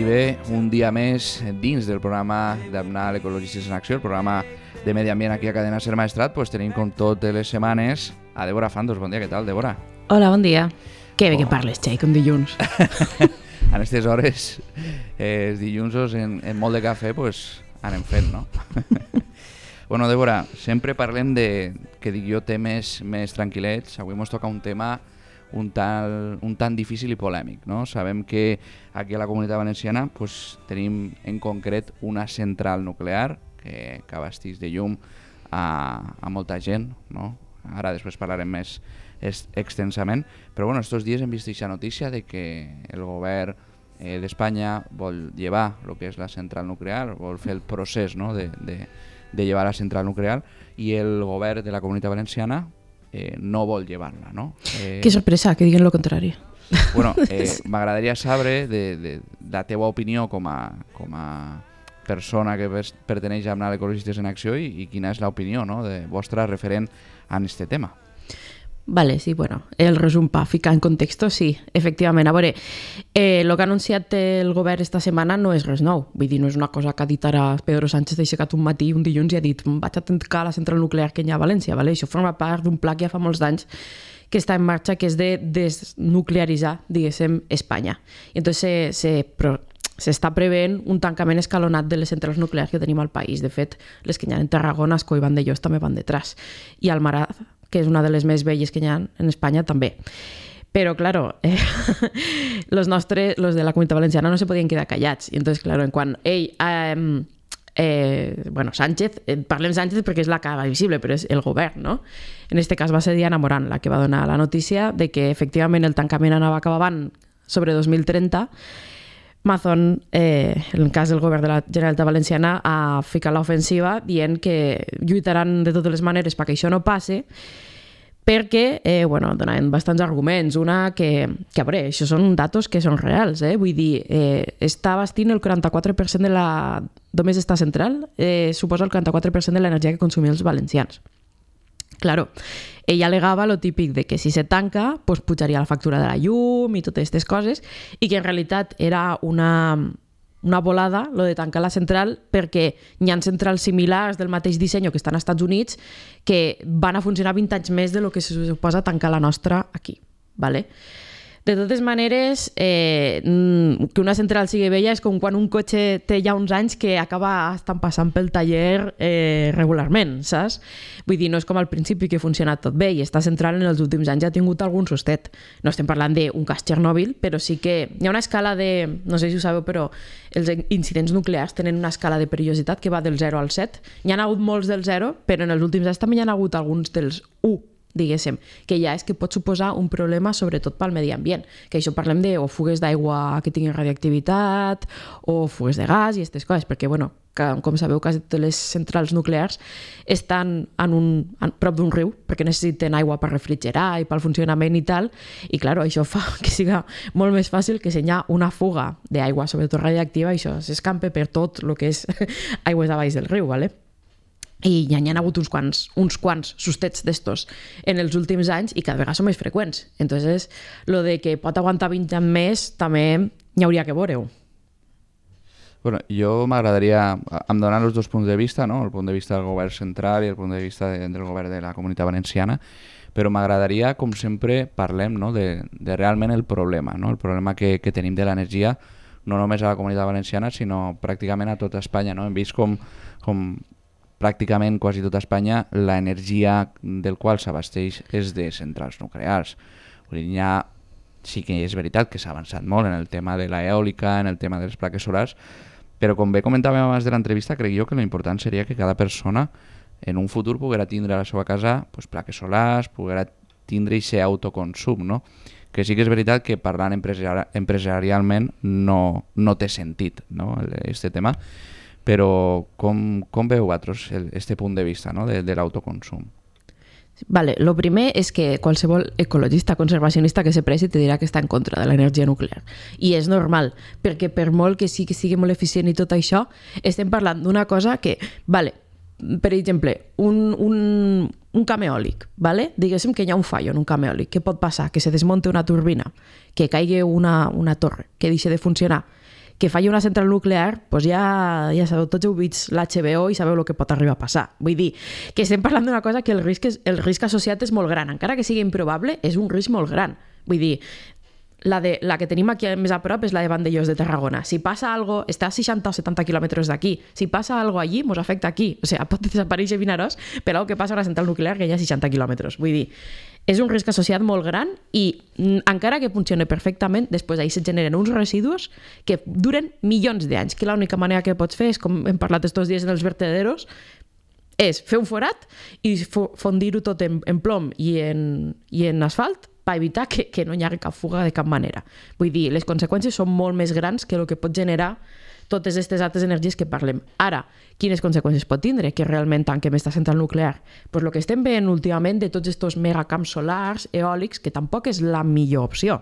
I bé, un dia més dins del programa d'Abnal Ecologistes en Acció, el programa de Medi Ambient aquí a Cadena Ser Maestrat, pues tenim com totes les setmanes a Débora Fandos. Bon dia, què tal, Débora? Hola, bon dia. Que bé que parles, Xai, com dilluns. En aquestes hores, els dilluns en molt de cafè, pues anem fent, no? Bueno, Débora, sempre parlem de, que dic jo, temes més tranquil·lets. Avui ens toca un tema un tant difícil i polèmic, no? Sabem que aquí a la Comunitat Valenciana pues, tenim en concret una central nuclear que abasteix de llum a molta gent, no? Ara després parlarem més extensament, però bueno, estos dies hem vist aquesta notícia de que el govern d'Espanya vol llevar el que és la central nuclear, vol fer el procés, no? de llevar la central nuclear, i el govern de la Comunitat Valenciana no vol llevar-la, no? Que sorpresa, que diguen lo contrari. Bueno, m'agradaria saber de la teva opinió com a persona que perteneix a Abnal Ecologistes en Acció i quina és l'opinió, no, de vostra referent a aquest tema. Vale, sí, bueno, el resum pa ficar en contexto, sí, efectivament. A veure, el que ha anunciat el govern esta setmana no és res nou. Vull dir, no és una cosa que ha dit ara Pedro Sánchez, ha aixecat un matí, un dilluns, i ha dit vaig a tancar la central nuclear que hi ha a València. Vale? Això forma part d'un pla que ja fa molts d'anys que està en marxa, que és de desnuclearitzar, diguéssim, Espanya. I entonces s'està preveient un tancament escalonat de les centrals nuclears que tenim al país. De fet, les que hi ha en Tarragona, Ascó i Vandellòs també van detrás. I Almaraz, que és una de les més velles que hi ha en Espanya, també. Però, claro, los de la Comunitat Valenciana no se podien quedar callats. I entonces, claro, en quan bueno, Sánchez, parlem Sánchez perquè és la cara visible, però és el govern, no? En este cas va ser Diana Morant la que va donar la notícia de que efectivament el tancament anava acabant sobre 2030. Mazón, en el cas del govern de la Generalitat Valenciana, ha ficat l'ofensiva dient que lluitaran de totes les maneres perquè això no passe, perquè, bueno, donaven bastants arguments. Una que a veure, això són datos que són reals, vull dir, està abastint el 44% de la... Només esta central suposa el 44% de l'energia que consumien els valencians. Claro, ella alegava lo típic de que si se tanca, pues pujaria la factura de la llum i totes aquestes coses, i que en realitat era una volada, lo de tancar la central, perquè hi ha centrals similars del mateix disseny que estan als Estats Units que van a funcionar 20 anys més de lo que se suposa tancar la nostra aquí. ¿Vale? De totes maneres, que una central sigui vella és com quan un cotxe té ja uns anys que acaba estant passant pel taller regularment, saps? Vull dir, no és com al principi que ha funcionat tot bé, i esta central en els últims anys ha tingut algun sustet. No estem parlant d'un cas Txernòbil, però sí que hi ha una escala de... No sé si ho sabeu, però els incidents nuclears tenen una escala de perillositat que va del 0 al 7. N'hi ha hagut molts del 0, però en els últims anys també hi ha hagut alguns dels 1, diguéssim, que ja és que pot suposar un problema sobretot pel medi ambient, que això parlem de o fugues d'aigua que tinguin radioactivitat o fugues de gas i aquestes coses, perquè, bueno, com sabeu, quasi totes les centrals nuclears estan prop d'un riu, perquè necessiten aigua per refrigerar i pel funcionament i tal, i clar, això fa que siga molt més fàcil que si hi ha una fuga d'aigua, sobretot radioactiva, això s'escampe per tot el que és aigües de baix del riu, ¿vale? I ja n'hi ha hagut uns quants sustets d'estos en els últims anys i cada vegada són més freqüents. Entonces, lo de que pot aguantar 20 anys més també n'hi hauria que veure-ho. Bueno, jo m'agradaria, em donen els dos punts de vista, no? El punt de vista del govern central i el punt de vista del govern de la Comunitat Valenciana, però m'agradaria, com sempre, parlem, no? de realment el problema, no? El problema que tenim de l'energia, no només a la Comunitat Valenciana, sinó pràcticament a tota Espanya, no? Hem vist com pràcticament quasi tota Espanya l'energia del qual s'abasteix és de centrals nuclears. Sí que és veritat que s'ha avançat molt en el tema de l'eòlica, en el tema de les plaques solars, però com bé comentàvem abans de l'entrevista, crec jo que l'important seria que cada persona en un futur poguera tindre a la seva casa plaques solars, poguera tindre aquest autoconsum, no? Que sí que és veritat que parlant empresarialment no té sentit, no? Este tema, però com veu vosaltres este punt de vista, no? de l'autoconsum? Vale, lo primer és que qualsevol ecologista conservacionista que se presi te dirà que està en contra de l'energia nuclear. I és normal, perquè per molt que sí que sigui molt eficient i tot això, estem parlant d'una cosa que, vale, per exemple, un camp eòlic, vale? Diguéssim que hi ha un fallo en un camp eòlic. Què pot passar? Que se desmonte una turbina, que caigui una torre, que deixi de funcionar, que falli una central nuclear, doncs ja sabeu, tots heu vist l'HBO i sabeu el que pot arribar a passar. Vull dir, que estem parlant d'una cosa que el risc associat és molt gran. Encara que sigui improbable, és un risc molt gran. Vull dir, la que tenim aquí més a prop és la de Vandellós de Tarragona. Si passa algo, està a 60 o 70 quilòmetres d'aquí. Si passa algo allí, ens afecta aquí. O sigui, pot desaparèixer Vinaròs per algo que passa a una central nuclear que hi ha 60 quilòmetres. Vull dir, és un risc associat molt gran i encara que funcioni perfectament, després d'ahir se generen uns residus que duren milions d'anys, que l'única manera que pots fer és, com hem parlat estos dies en els vertederos, és fer un forat i fondir-ho tot en plom i en asfalt per evitar que no hi hagi cap fuga de cap manera. Vull dir, les conseqüències són molt més grans que el que pot generar totes aquestes altres energies que parlem. Ara, quines conseqüències pot tindre que realment tanquem aquesta central nuclear? Pues el que estem veient últimament de tots aquests megacamps solars, eòlics, que tampoc és la millor opció.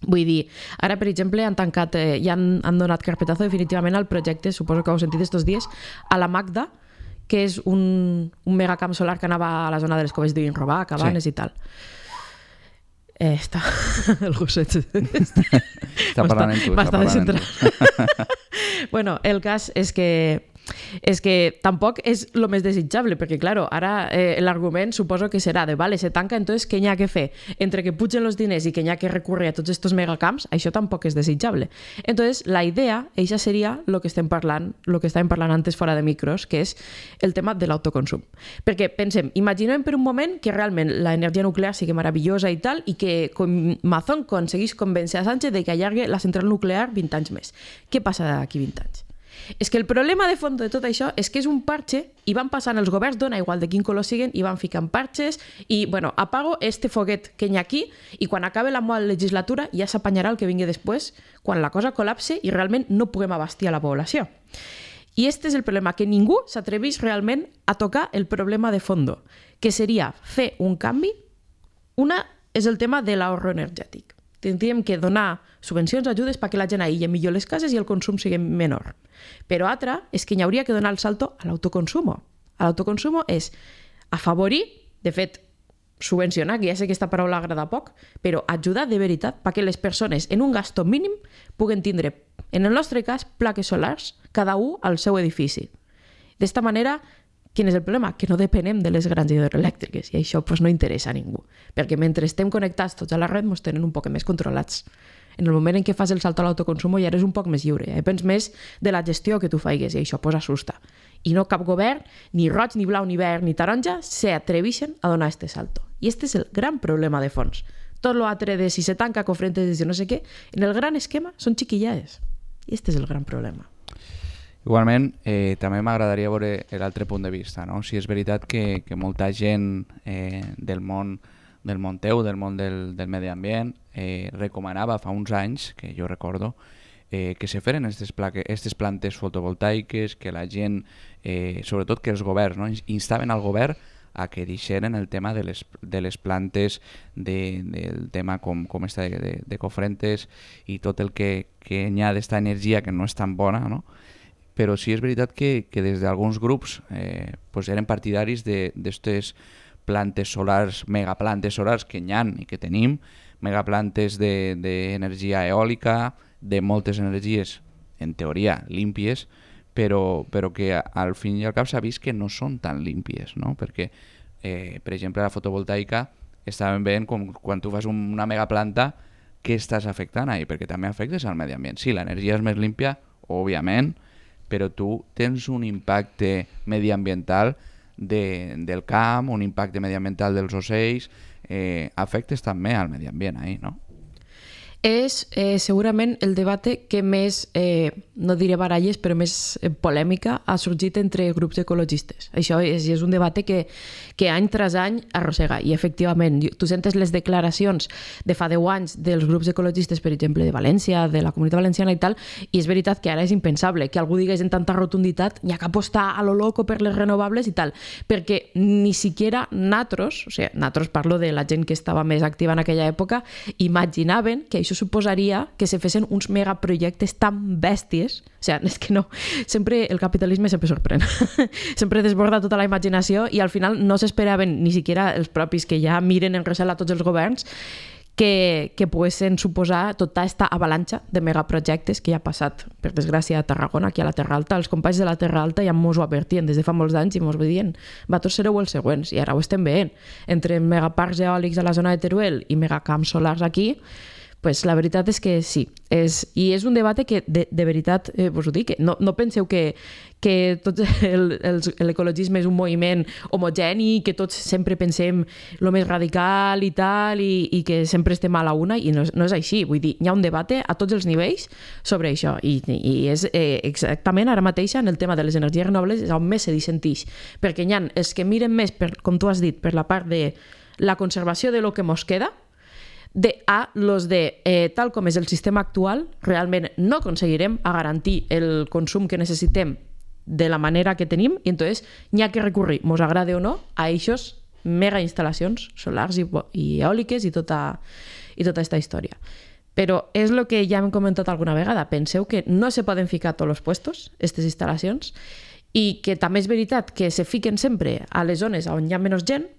Vull dir, ara, per exemple, han tancat, ja han donat carpetazo definitivament al projecte, suposo que ho heu sentit estos dies, a la Magda, que és un megacamp solar que anava a la zona de les Coves d'Vinrobà, Cabanes i tal. Està el gosset està parlant en tu. M'està descentrat. Bueno, el cas és que tampoc és el més desitjable, perquè, claro, ara l'argument suposo que serà de, vale, se tanca, entonces, què n'hi ha que fer? Entre que pugen els diners i que n'hi ha que recurrir a tots aquests megacamps, això tampoc és desitjable. Entonces, la idea, això seria el que estàvem parlant antes fora de micros, que és el tema de l'autoconsum. Perquè, pensem, imaginem per un moment que realment l'energia nuclear sigui meravellosa i tal, i que Mazón aconseguís convèncer a Sánchez de que allargue la central nuclear 20 anys més. Què passa d'aquí 20 anys? És que el problema de fons de tot això és que és un parche i van passant els governs, dona igual de quin color siguen, i van ficant parches i, bueno, apago este foguet que hi ha aquí i quan acabe la meva legislatura ja s'apanyarà el que vingui després quan la cosa col·lapse i realment no puguem abastir a la població. I este és el problema, que ningú s'atrevís realment a tocar el problema de fondo, que seria fer un canvi. Una és el tema de l'ahorro energètic. Tindríem que donar subvencions, ajudes perquè la gent aïlli millor les cases i el consum sigui menor. Però altra és que hi hauria que donar el salto a l'autoconsumo. L'autoconsumo és afavorir, de fet, subvencionar, que ja sé que aquesta paraula agrada poc, però ajudar de veritat perquè les persones en un gasto mínim puguen tindre, en el nostre cas, plaques solars, cada un al seu edifici. D'esta manera, quin és el problema? Que no depenem de les grans hidroelèctriques i això no interessa a ningú, perquè mentre estem connectats tots a la red ens tenen un poc més controlats. En el moment en què fas el salt a l'autoconsum ja eres un poc més lliure, depens més de la gestió que tu faigues i això assusta. I no cap govern, ni roig, ni blau, ni verd, ni taronja, s'atreveixen a donar este salto. I este és el gran problema de fons. Tot l'altre de si se tanca cofrentes de no sé què, en el gran esquema són chiquillades. I este és el gran problema. Igualment, també m'agradaria veure l'altre punt de vista, no? Si és veritat que molta gent del món teu, del món del medi ambient, recomanava fa uns anys, que jo recordo, que se feren aquestes plantes fotovoltaiques, que la gent, sobretot que els governs, no? Instaven al govern a que deixeren el tema de les plantes, del tema com està de cofrentes i tot el que hi ha d'esta energia que no és tan bona, no? Però sí és veritat que des d'alguns grups eren partidaris d'aquestes plantes solars, megaplantes solars que hi ha i que tenim, megaplantes d'energia eòlica, de moltes energies, en teoria, límpies, però que al fin i al cap s'ha vist que no són tan límpies, no? Perquè, per exemple, la fotovoltaica estàvem veient com quan tu fas una megaplanta, què estàs afectant ahí? Perquè també afectes al medi ambient. Sí, l'energia és més límpia, òbviament, però tu tens un impacte mediambiental del camp, un impacte mediambiental dels ocells, afectes també al medi ambient ahí, no? És segurament el debat que més, no diré baralles, però més polèmica ha sorgit entre grups ecologistes. Això és un debat que any tras any arrossega. I efectivament, tu sentes les declaracions de fa 10 anys dels grups ecologistes, per exemple, de València, de la Comunitat Valenciana i tal, i és veritat que ara és impensable que algú digués en tanta rotunditat hi ha que apostar a lo loco per les renovables i tal, perquè ni siquiera nosaltres, o sigui, nosaltres parlo de la gent que estava més activa en aquella època, imaginaven que això suposaria que se fessin uns megaprojectes tan bèsties. O sigui, és que no, sempre el capitalisme sempre sorprèn. Sempre desborda tota la imaginació i al final no s'esperaven ni siquiera els propis que ja miren en recel a tots els governs que poguessin suposar tota aquesta avalanxa de megaprojectes que ja ha passat, per desgràcia, a Tarragona, aquí a la Terra Alta. Els companys de la Terra Alta ja mos ho advertien des de fa molts anys i mos dient vosaltres sereu els següents, i ara ho estem veient. Entre megaparcs eòlics a la zona de Teruel i megacamps solars aquí, pues la veritat és que sí. I és un debat que, de veritat, vos ho dic, no penseu que tot l'ecologisme és un moviment homogeni, que tots sempre pensem el més radical i tal, i que sempre estem a la una, i no és així. Vull dir, hi ha un debat a tots els nivells sobre això, i és exactament ara mateix en el tema de les energies renovables és on més se dissentix, perquè hi ha els que miren més, com tu has dit, per la part de la conservació de lo que mos queda, los de tal com és el sistema actual, realment no aconseguirem a garantir el consum que necessitem de la manera que tenim, i entonces n'hi ha que recurrir, mos agrade o no, a eixos mega instal·lacions solars i eòliques i tota aquesta història. Però és el que ja hem comentat alguna vegada, penseu que no se poden ficar a tots els puestos, aquestes instal·lacions, i que també és veritat que se fiquen sempre a les zones on hi ha menys gent,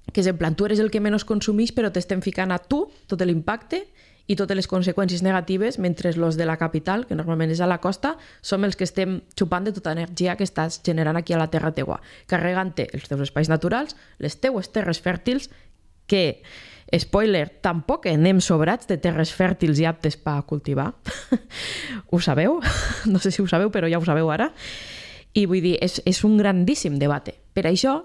que és en plan, tu eres el que menys consumeix, però t'estem ficant a tu tot l'impacte i totes les conseqüències negatives, mentre els de la capital, que normalment és a la costa, som els que estem xupant de tota energia que estàs generant aquí a la terra teua, carregant-te els teus espais naturals, les teues terres fèrtils, que, spoiler, tampoc anem sobrats de terres fèrtils i aptes per cultivar. Ho sabeu? No sé si ho sabeu, però ja ho sabeu ara. I vull dir, és un grandíssim debat. Per això,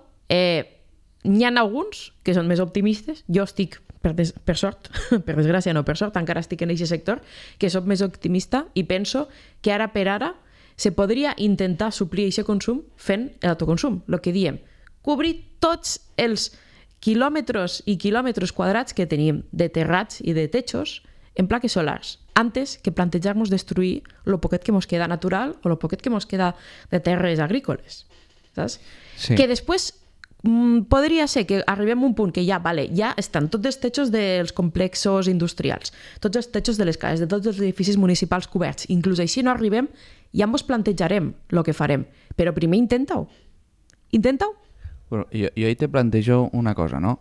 n'hi ha alguns que són més optimistes. Jo estic, per sort, per desgràcia no per sort, encara estic en aquest sector, que soc més optimista i penso que ara per ara se podria intentar suplir aquest consum fent l'autoconsum. El que diem, cobrir tots els quilòmetres i quilòmetres quadrats que tenim de terrats i de techos en plaques solars, antes que plantejar-nos destruir el poquet que ens queda natural o el poquet que ens queda de terres agrícoles. Saps? Sí. Que després podria ser que arribem a un punt que ja estan tots els techos dels complexos industrials, tots els techos de les cases, de tots els edificis municipals coberts. Inclús així no arribem, ja ens plantejarem el que farem. Però primer intenta-ho. Intenta-ho. Bueno, jo ahí te plantejo una cosa, ¿no?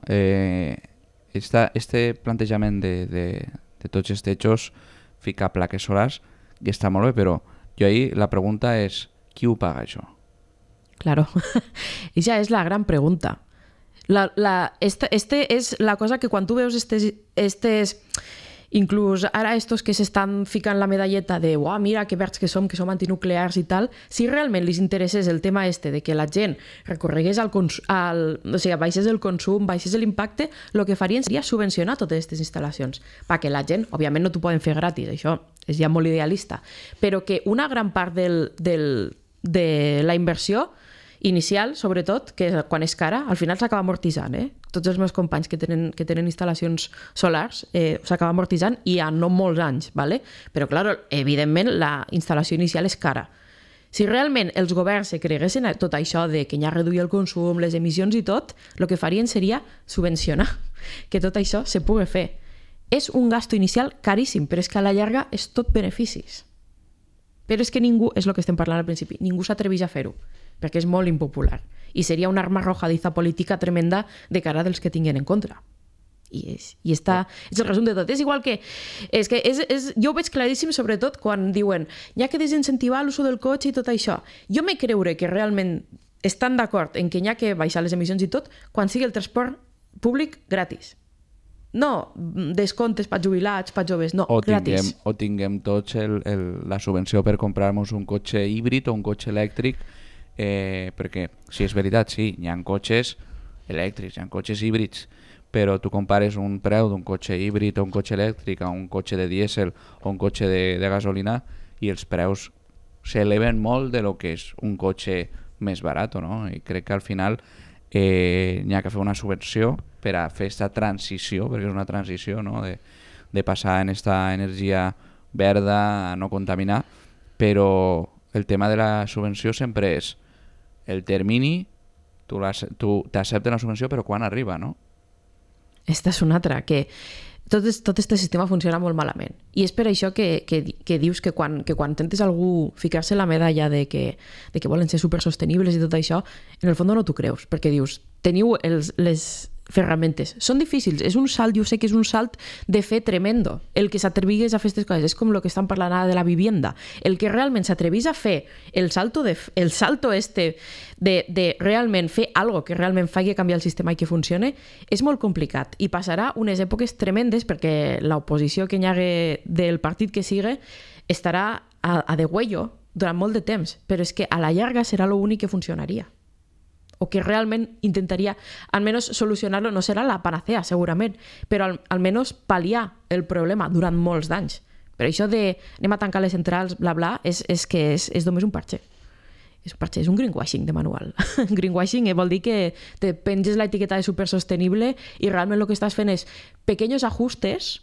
Este plantejament de tots els techos, ficar plaques solars, que està molt bé, però jo ahí la pregunta és, qui ho paga això? Claro, esa és la gran pregunta. Este és la cosa que quan tu veus estes inclús ara estos que s'estan ficant la medalleta de mira que verds que som antinuclears i tal, si realment li interessés el tema de que la gent recorregués baixés el consum, baixés l'impacte, el que farien seria subvencionar totes aquestes instal·lacions, perquè la gent, òbviament no t'ho poden fer gratis, això és ja molt idealista, però que una gran part de la inversió inicial, sobretot, que quan és cara, al final s'acaba amortitzant. Tots els meus companys que tenen instal·lacions solars s'acaba amortitzant i a no molts anys. ¿vale? Però, clar, evidentment, la instal·lació inicial és cara. Si realment els governs se creguessin a tot això de que hi ha reduir el consum, les emissions i tot, el que farien seria subvencionar que tot això se pugui fer. És un gasto inicial caríssim, però és que a la llarga és tot beneficis. Però és que ningú, és el que estem parlant al principi, ningú s'atreveix a fer-ho, perquè és molt impopular. I seria una arma arrojadiza política tremenda de cara dels que tinguin en contra. I és el resum de tot. És igual que... jo ho veig claríssim, sobretot, quan diuen hi ha que desincentivar l'ús del cotxe i tot això. Jo m'he creure que realment estan d'acord en que hi ha que baixar les emissions i tot quan sigui el transport públic gratis. No descomptes per jubilats, per joves, no, gratis. O tinguem tots la subvenció per comprar-nos un cotxe híbrid o un cotxe elèctric, perquè, si és veritat, sí, hi ha cotxes elèctrics, hi ha cotxes híbrids, però tu compares un preu d'un cotxe híbrid o un cotxe elèctric a un cotxe de dièsel o un cotxe de gasolina i els preus s'eleven molt de lo que és un cotxe més barat, no? I crec que al final n'hi ha que fer una subvenció per a fer aquesta transició, perquè és una transició, no? de passar en aquesta energia verda a no contaminar, però el tema de la subvenció sempre és el termini, tu t'acceptes la subvenció, però quan arriba, no? Esta és una altra, que tot aquest sistema funciona molt malament. I és per això que dius que quan intentes algú ficar-se la medalla de que volen ser supersostenibles i tot això, en el fons no t'ho creus, perquè dius, teniu ferramentes. Són difícils, és un salt, jo sé que és un salt de fe tremendo, el que s'atrevigués a fer aquestes coses, és com el que estan parlant ara de la vivienda, el que realment s'atrevís a fer el salto de realment fer algo que realment faci canviar el sistema i que funcione, és molt complicat i passarà unes èpoques tremendes perquè l'oposició que hi hagi del partit que sigui estarà a degüello durant molt de temps, però és que a la llarga serà l'únic que funcionaria o que realment intentaria almenys solucionar-lo, no serà la panacea segurament, però almenys pal·liar el problema durant molts d'anys. Però això de anem a tancar les centrals, bla bla, és només un parche. És un parche, és un greenwashing de manual. Greenwashing vol dir que te penges l'etiqueta de supersostenible i realment el que estàs fent és pequeños ajustes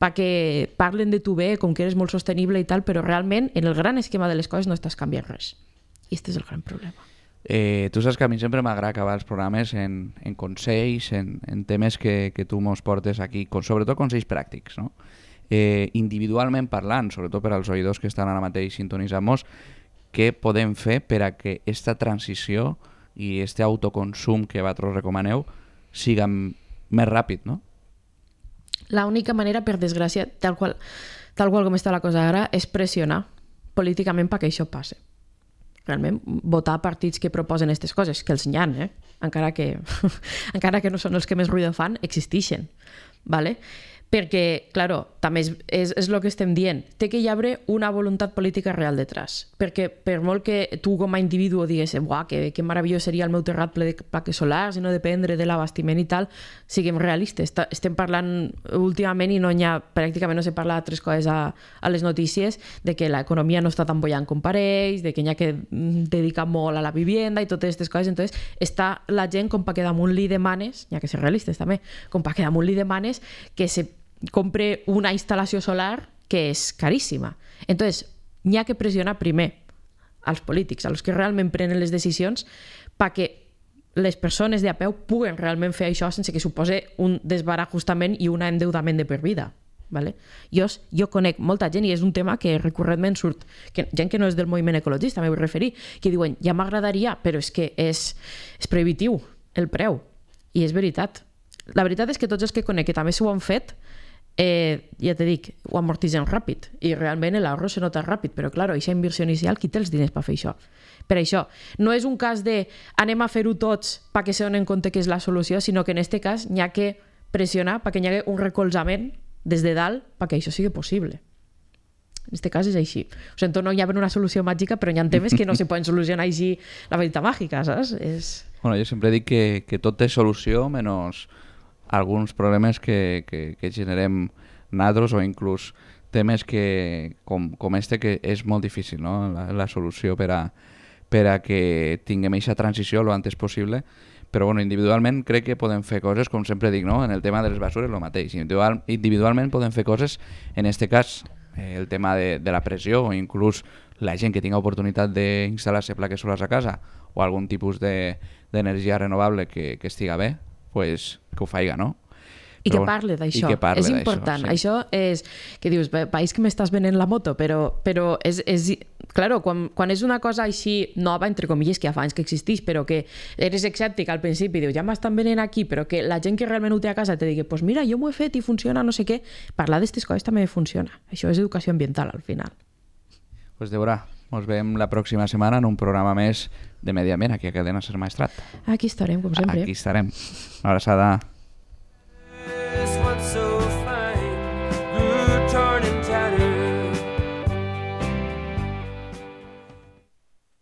perquè parlen de tu bé, com que eres molt sostenible i tal, però realment en el gran esquema de les coses no estàs canviant res. I aquest és el gran problema. Tu saps que a mi sempre m'agrada acabar els programes en consells, en temes que tu mos portes aquí, sobretot consells pràctics, no? Individualment parlant, sobretot per als oïdors que estan ara mateix sintonitzant-nos, què podem fer per a que aquesta transició i aquest autoconsum que vosaltres recomaneu siga més ràpid, no? L'única manera, per desgràcia, tal qual com està la cosa ara, és pressionar políticament perquè això passi. Realment, votar partits que proposen aquestes coses, que els n'hi ha, encara que no són els que més ruïdo fan, existeixen. ¿Vale? Perquè, claro, també és el que estem dient, té que hi haver una voluntat política real detrás, perquè per molt que tu com a individu digues que meravellós seria el meu terrat ple de plaques solars i no dependre de l'abastiment i tal, siguem realistes. Estem parlant últimament i pràcticament no se parla d'altres coses a les notícies, de que l'economia no està tan bollant com pareix, de que hi ha que dedicar molt a la vivienda i totes aquestes coses. Entonces, està la gent com perquè damunt li demanes, hi ha que ser realistes també, com perquè damunt li demanes que se compre una instal·lació solar que és caríssima. Entonces, n'hi ha que pressionar primer als polítics, als que realment prenen les decisions, perquè les persones de a peu puguen realment fer això sense que supose un desbarajustament i un endeudament de per vida. ¿Vale? Jo conec molta gent, i és un tema que recurrentment surt, gent que no és del moviment ecologista, m'he vull referir, que diuen, ja m'agradaria, però és que és prohibitiu el preu. I és veritat. La veritat és que tots els que conec que també s'ho han fet, ja te dic, ho amortitzen ràpid i realment l'ahorro se nota ràpid, però clar, aquesta inversió inicial, qui té els diners per fer això? Per això, no és un cas de anem a fer-ho tots perquè se donen compte que és la solució, sinó que en aquest cas n'hi ha que pressionar perquè hi hagi un recolzament des de dalt perquè això sigui possible. En aquest cas és així. O sigui, no hi ha una solució màgica, però hi ha temes que no se poden solucionar així la varita màgica, saps? Bueno, jo sempre dic que tot té solució menys alguns problemes que generem nosaltres o inclús temes que, com este, que és molt difícil, no? La solució per a que tinguem aquesta transició lo antes possible. Però bueno, individualment crec que podem fer coses, com sempre dic, no? En el tema de les basures, el mateix. Individualment podem fer coses, en este cas, el tema de la pressió o inclús la gent que tinga oportunitat d'instal·lar-se plaques solars a casa o algun tipus d'energia renovable que estiga bé, pues, que ho faiga, no? I que parle d'això, és important. Sí. Això és, que dius, país que m'estàs venent la moto, però és claro, quan és una cosa així nova, entre comilles, que ja fa anys que existeix, però que eres escèptic al principi, dius, ja m'estan venent aquí, però que la gent que realment ho té a casa te digui, pues mira, jo m'ho he fet i funciona, no sé què, parlar d'aquestes coses també funciona. Això és educació ambiental, al final. Pues Débora, ens veiem la pròxima setmana en un programa més de Medi Ambient aquí a Cadena Ser Maestrat. Aquí estarem, com sempre. Aquí estarem. Una abraçada.